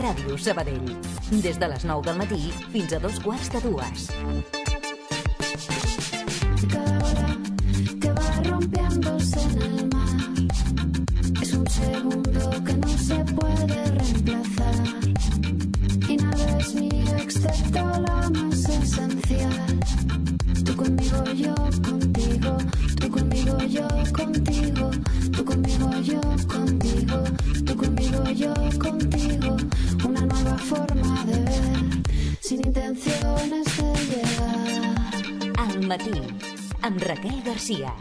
Ràdio Sabadell. Des de les 9 del matí fins a 2:45. Cada ola que va rompiéndose en el mar es un segundo que no se puede reemplazar y nada es mío excepto lo más esencial. Tú conmigo, yo contigo, tú conmigo, yo contigo, tú conmigo, yo contigo, tú conmigo, yo contigo. Una nueva forma de ver, sin intenciones de llegar. Al matí, amb Raquel Garcia.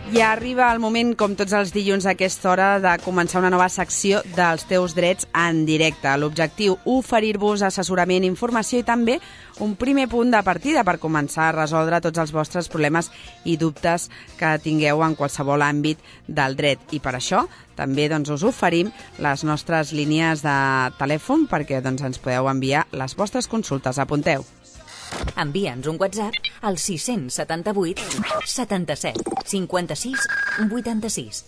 Ja arriba el moment, com tots els dilluns a aquesta hora, de començar una nova secció dels teus drets en directe. L'objectiu, oferir-vos assessorament, informació i també un primer punt de partida per començar a resoldre tots els vostres problemes i dubtes que tingueu en qualsevol àmbit del dret. I per això també us oferim les nostres línies de telèfon perquè ens podeu enviar les vostres consultes. Apunteu. Envia'ns un WhatsApp al 678 77 56 86.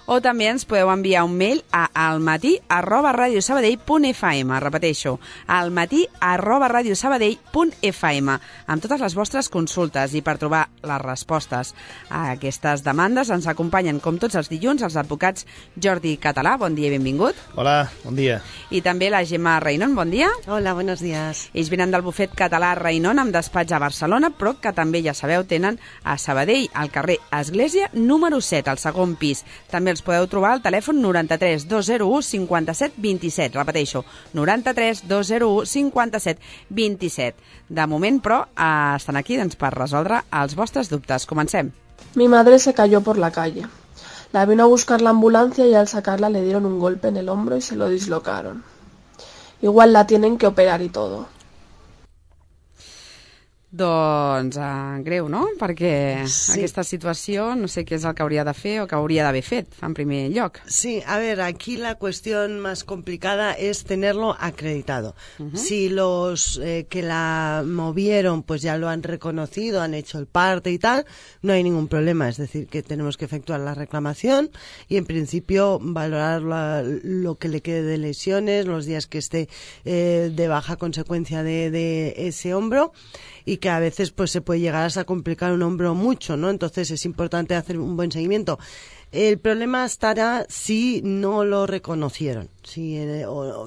O també ens podeu enviar un mail a almatí@radiosabadell.fm. Repeteixo, almatí@radiosabadell.fm amb totes les vostres consultes i per trobar les respostes a aquestes demandes ens acompanyen, com tots els dilluns, els advocats Jordi Català. Bon dia i benvingut. Hola, bon dia. I també la Gemma Reinon. Bon dia. Hola, buenos días. Ells venen del bufet català Reinon amb despatx a Barcelona, però que també, ja sabeu, tenen a Sabadell, al carrer Església número 7, al segon pis. També els podeu trobar al telèfon 93 201 57 27. Repeteixo, 93 201 57 27. De moment, però, estan aquí per resoldre els vostres dubtes. Comencem. Mi madre se cayó por la calle. La vino a buscar la ambulancia y al sacarla le dieron un golpe en el hombro y se lo dislocaron. Igual la tienen que operar y todo. Doncs greu, no? Perquè aquesta situació no sé què és el que hauria de fer o que hauria d'haver fet en primer lloc. Sí, a ver, aquí la cuestión más complicada es tenerlo acreditado. Si los que la movieron pues ya lo han reconocido, han hecho el parte y tal, no hay ningún problema. Es decir, que tenemos que efectuar la reclamación y en principio valorar lo que le quede de lesiones, los días que esté de baja a consecuencia de ese hombro, y que a veces pues se puede llegar hasta complicar un hombro mucho, ¿no? Entonces es importante hacer un buen seguimiento. El problema estará si no lo reconocieron, si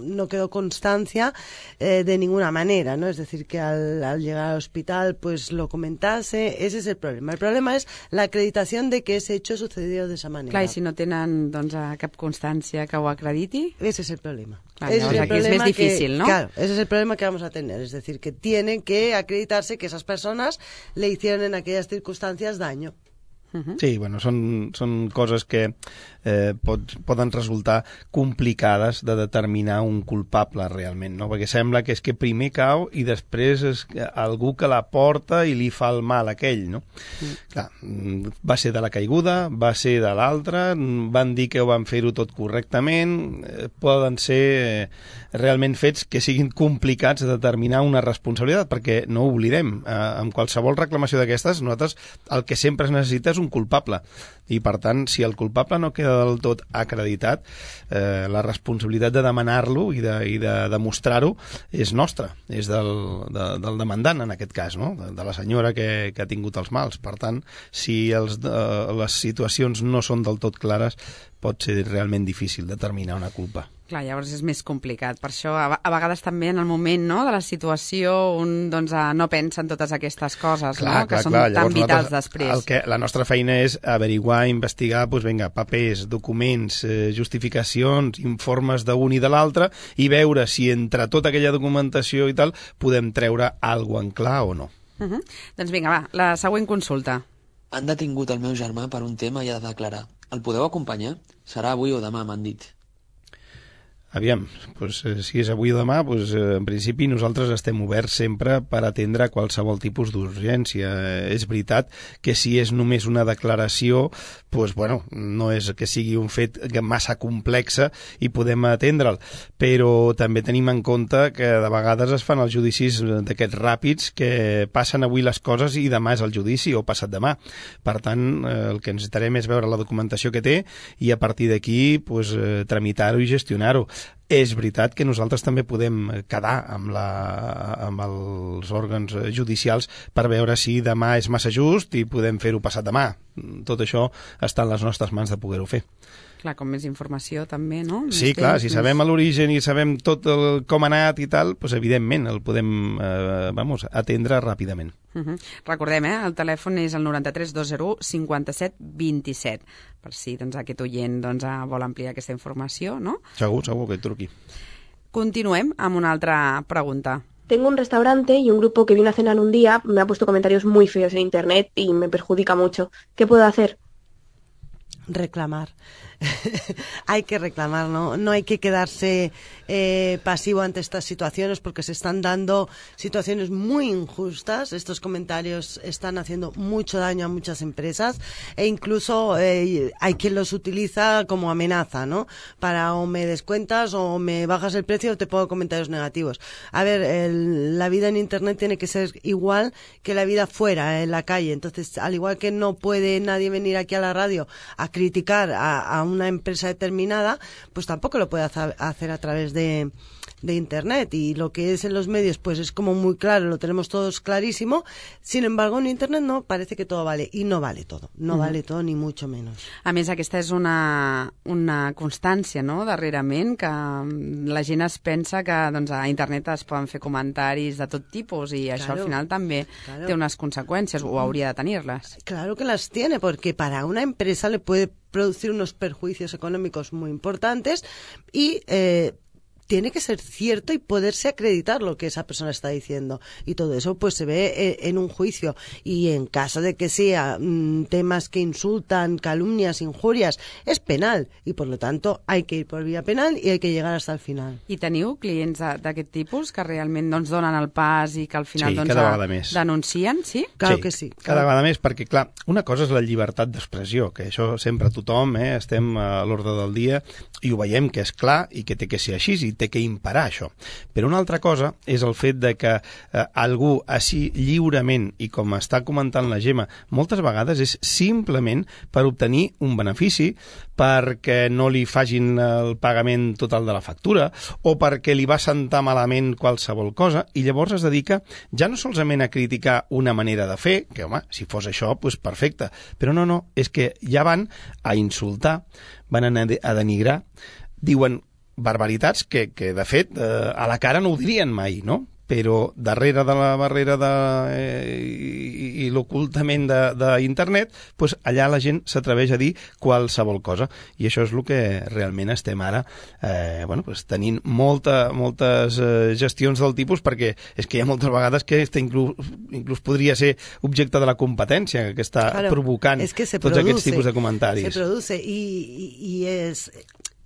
no quedó constancia de ninguna manera, ¿no? Es decir, que al llegar al hospital pues lo comentase. Ese es el problema. El problema es la acreditación de que ese hecho sucedió de esa manera. Clar, i si no tenen cap constància que ho acrediti? Ese es el problema. Clar, ese es el problema, es más difícil, ¿no? Claro, ese es el problema que vamos a tener. Es decir, que tiene que acreditarse que esas personas le hicieron en aquellas circunstancias daño. Sí, bueno, són coses que poden resultar complicades de determinar un culpable realment, no? Perquè sembla que és que primer cau i després és algú que la porta i li fa el mal a aquell, no? Clar, va ser de la caiguda, va ser de l'altra, van dir que ho van fer-ho tot correctament, poden ser realment fets que siguin complicats de determinar una responsabilitat, perquè no ho oblidem, amb qualsevol reclamació d'aquestes, nosaltres el que sempre es necessita és un culpable, i per tant, si el culpable no queda del tot acreditat, la responsabilitat de demanar-lo i de demostrar-ho és nostra, és del demandant en aquest cas, no? De la senyora que ha tingut els mals. Per tant, si les situacions no són del tot clares, pot ser realment difícil determinar una culpa. Clar, llavors és més complicat. Per això, a vegades també en el moment, no, de la situació, un no pensa en totes aquestes coses, clar, no? Que són llavors, tan vitals després. La nostra feina és averiguar, investigar, papers, documents, justificacions, informes d'un i de l'altre, i veure si entre tota aquella documentació i tal podem treure alguna en clar o no. Doncs vinga, va, la següent consulta. Han detingut el meu germà per un tema i ha de declarar. El podeu acompanyar? Serà avui o demà, m'han dit. Aviam, doncs, si és avui o demà, doncs, en principi nosaltres estem oberts sempre per atendre qualsevol tipus d'urgència. És veritat que si és només una declaració, doncs, bueno, no és que sigui un fet massa complexa i podem atendre'l, però també tenim en compte que de vegades es fan els judicis d'aquests ràpids que passen avui les coses i demà és el judici o passat demà. Per tant, el que necessitarem és veure la documentació que té i a partir d'aquí doncs, tramitar-ho i gestionar-ho. És veritat que nosaltres també podem quedar amb els òrgans judicials per veure si demà és massa just i podem fer-ho passat demà. Tot això està en les nostres mans de poder-ho fer. Clar, com més informació també, no? Sí, clar, si sabem l'origen i sabem tot com ha anat i tal, doncs evidentment el podem atendre ràpidament. Recordem, el telèfon és el 93 201 57 27, per si aquest oient vol ampliar aquesta informació, no? Segur que et truqui. Continuem amb una altra pregunta. Tengo un restaurante y un grupo que vino a cenar un día me ha puesto comentarios muy feos en internet y me perjudica mucho. ¿Qué puedo hacer? Reclamar. Hay que reclamar, no hay que quedarse pasivo ante estas situaciones porque se están dando situaciones muy injustas. Estos comentarios están haciendo mucho daño a muchas empresas e incluso hay quien los utiliza como amenaza, ¿no? Para o me descuentas o me bajas el precio o te pongo comentarios negativos. A ver, la vida en internet tiene que ser igual que la vida fuera, en la calle. Entonces, al igual que no puede nadie venir aquí a la radio a criticar a una empresa determinada, pues tampoco lo puede hacer a través de internet, y lo que es en los medios pues es como muy claro, lo tenemos todos clarísimo. Sin embargo, en internet no, parece que todo vale, i no vale todo, vale todo ni mucho menos. A més, aquesta és una constància, no?, darrerament, que la gent es pensa que a internet es poden fer comentaris de tot tipus i això al final també té unes conseqüències, o hauria de tenir-les. Claro que las tiene, porque para una empresa le puede producir unos perjuicios económicos muy importantes y tiene que ser cierto y poderse acreditar lo que esa persona está diciendo, y todo eso pues se ve en un juicio, y en caso de que sea temas que insultan, calumnias, injurias, es penal, y por lo tanto hay que ir por vía penal y hay que llegar hasta el final. I teniu clients d'aquest tipus que realment donen el pas i que al final denuncien? Sí? Claro que sí. Cada vegada més, perquè clar, una cosa és la llibertat d'expressió, que això sempre tothom estem a l'ordre del dia i ho veiem que és clar i que té que ser així i té que imparar això. Però una altra cosa és el fet de que algú així lliurement, i com està comentant la Gemma, moltes vegades és simplement per obtenir un benefici, perquè no li facin el pagament total de la factura o perquè li va sentar malament qualsevol cosa, i llavors es dedica ja no solament a criticar una manera de fer, que home, si fos això, doncs perfecte, però no, és que ja van a insultar, van a denigrar, diuen barbaritats que de fet a la cara no ho dirien mai, no? Però darrere de la barrera i l'ocultament d'internet, doncs allà la gent s'atreveix a dir qualsevol cosa, i això és el que realment estem ara tenint moltes gestions del tipus, perquè és que hi ha moltes vegades que inclús podria ser objecte de la competència que està provocant tots aquests tipus de comentaris. Se produce y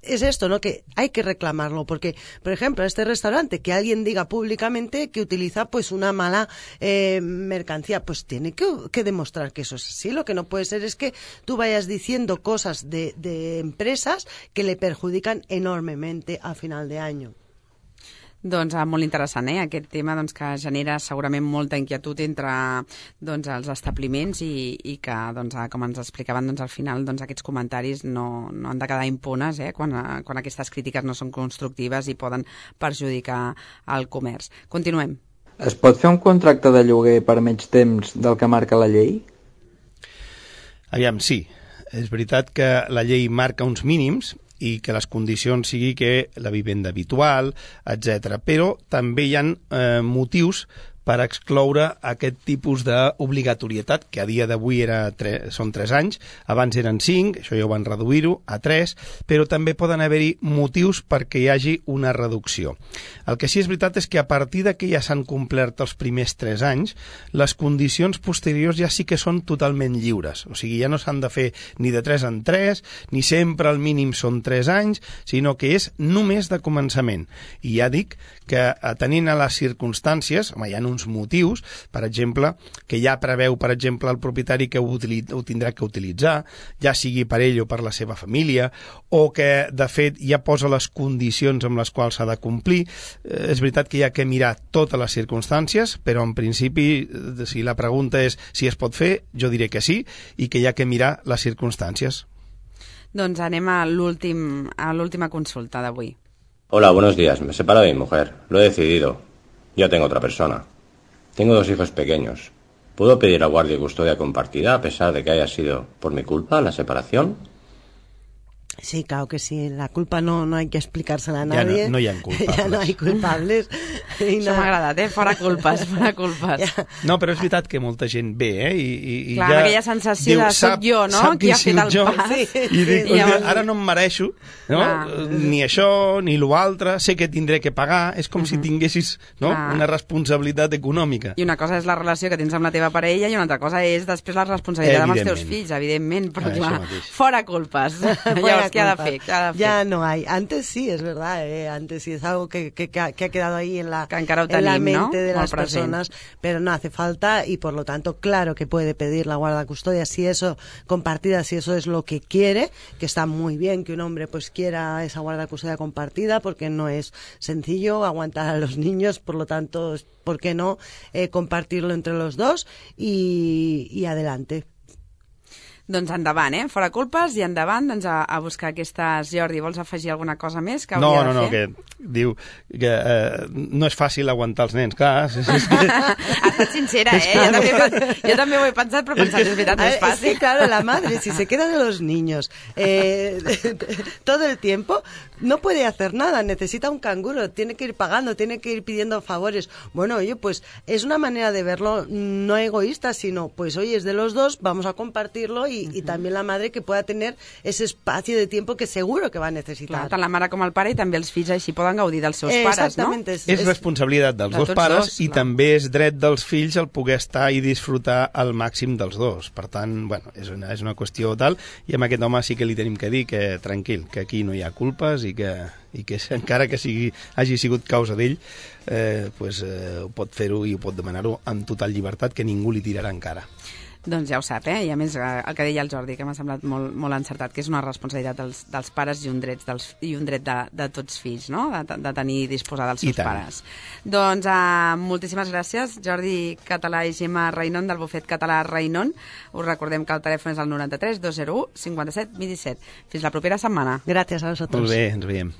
es esto, ¿no? Que hay que reclamarlo, porque, por ejemplo, este restaurante, que alguien diga públicamente que utiliza pues una mala mercancía, pues tiene que demostrar que eso es así. Lo que no puede ser es que tú vayas diciendo cosas de empresas que le perjudican enormemente a final de año. Doncs molt interessant, aquest tema que genera segurament molta inquietud entre els establiments i que, com ens explicaven, al final aquests comentaris no han de quedar impunes quan aquestes crítiques no són constructives i poden perjudicar el comerç. Continuem. Es pot fer un contracte de lloguer per menys temps del que marca la llei? Aviam, sí. És veritat que la llei marca uns mínims i que les condicions sigui que la vivenda habitual, etc. Però també hi ha motius per excloure aquest tipus d'obligatorietat, que a dia d'avui són 3 anys, abans eren 5, això ja ho van reduir-ho a 3, però també poden haver-hi motius perquè hi hagi una reducció. El que sí és veritat és que a partir que ja s'han complert els primers 3 anys, les condicions posteriors ja sí que són totalment lliures. O sigui, ja no s'han de fer ni de 3 en 3, ni sempre el mínim són 3 anys, sinó que és només de començament. I ja dic que atenint a les circumstàncies, hi ha uns motius, per exemple, que ja preveu, per exemple, el propietari que ho tindrà que utilitzar, ja sigui per ell o per la seva família, o que, de fet, ja posa les condicions amb les quals s'ha de complir. És veritat que hi ha que mirar totes les circumstàncies, però en principi, si la pregunta és si es pot fer, jo diré que sí, i que hi ha que mirar les circumstàncies. Doncs anem a l'última consulta d'avui. Hola, buenos días. Me he separado de mi mujer. Lo he decidido. Ya tengo otra persona. Tengo 2 hijos pequeños. ¿Puedo pedir a guardia y custodia compartida a pesar de que haya sido por mi culpa la separación? Sí, claro que sí. La culpa no hay que explicársela a nadie. Ja no hi ha culpables. Ja no hi ha culpables. Això m'ha agradat, Fora culpes, fora culpes. Ja. No, però és veritat que molta gent ve, I clar, ja aquella sensació de soc jo, no?, qui ha fet el pas. Sí. I dic, ara no em mereixo, no? Ni això, ni l'altre, sé que tindré que pagar, és com si tinguessis, no?, una responsabilitat econòmica. I una cosa és la relació que tens amb la teva parella i una altra cosa és després la responsabilitat amb els teus fills, evidentment, però clar, fora culpes. Llavors, ¿qué ha de fer? Ya no hay. Antes sí, es verdad, antes sí es algo que ha quedado ahí en la mente de las personas, pero no hace falta y por lo tanto, claro que puede pedir la guarda custodia si eso compartida, si eso es lo que quiere, que está muy bien que un hombre pues quiera esa guarda custodia compartida porque no es sencillo aguantar a los niños, por lo tanto, ¿por qué no compartirlo entre los dos y adelante? Doncs endavant, fora culpes i endavant doncs, a buscar aquestes... Jordi, vols afegir alguna cosa més que hauria de fer? No, que diu que no és fàcil aguantar els nens, clar. Ha estat sincera, yo també ho he pensat, però pensat, és veritat, no és fàcil. Sí, claro, la madre, si se queda de los niños todo el tiempo, no puede hacer nada, necesita un canguro, tiene que ir pagando, tiene que ir pidiendo favores. Bueno, oye, pues es una manera de verlo no egoísta, sino, pues oye, es de los dos, vamos a compartirlo y también la madre que pueda tener ese espacio de tiempo que seguro que va a necesitar. Clar, tant la mare com el pare i també els fills així poden gaudir dels seus pares, no? És responsabilitat dels dos pares i també és dret dels fills el poder estar i disfrutar al màxim dels dos. Per tant, bueno, és una qüestió tal, i amb aquest home sí que li tenim que dir que tranquil, que aquí no hi ha culpes i que encara que hagi sigut causa d'ell, pot fer-ho i ho pot demanar-ho amb total llibertat, que ningú li tirarà encara. Doncs ja ho sap, i a més el que deia el Jordi, que m'ha semblat molt encertat, que és una responsabilitat dels pares i un dret de tots fills, no?, de tenir i disposar dels seus pares. Doncs moltíssimes gràcies, Jordi Català i Gemma Reinon, del bufet català Reinon. Us recordem que el telèfon és el 93 201 57 27. Fins la propera setmana. Gràcies a vosaltres. Molt bé, ens veiem.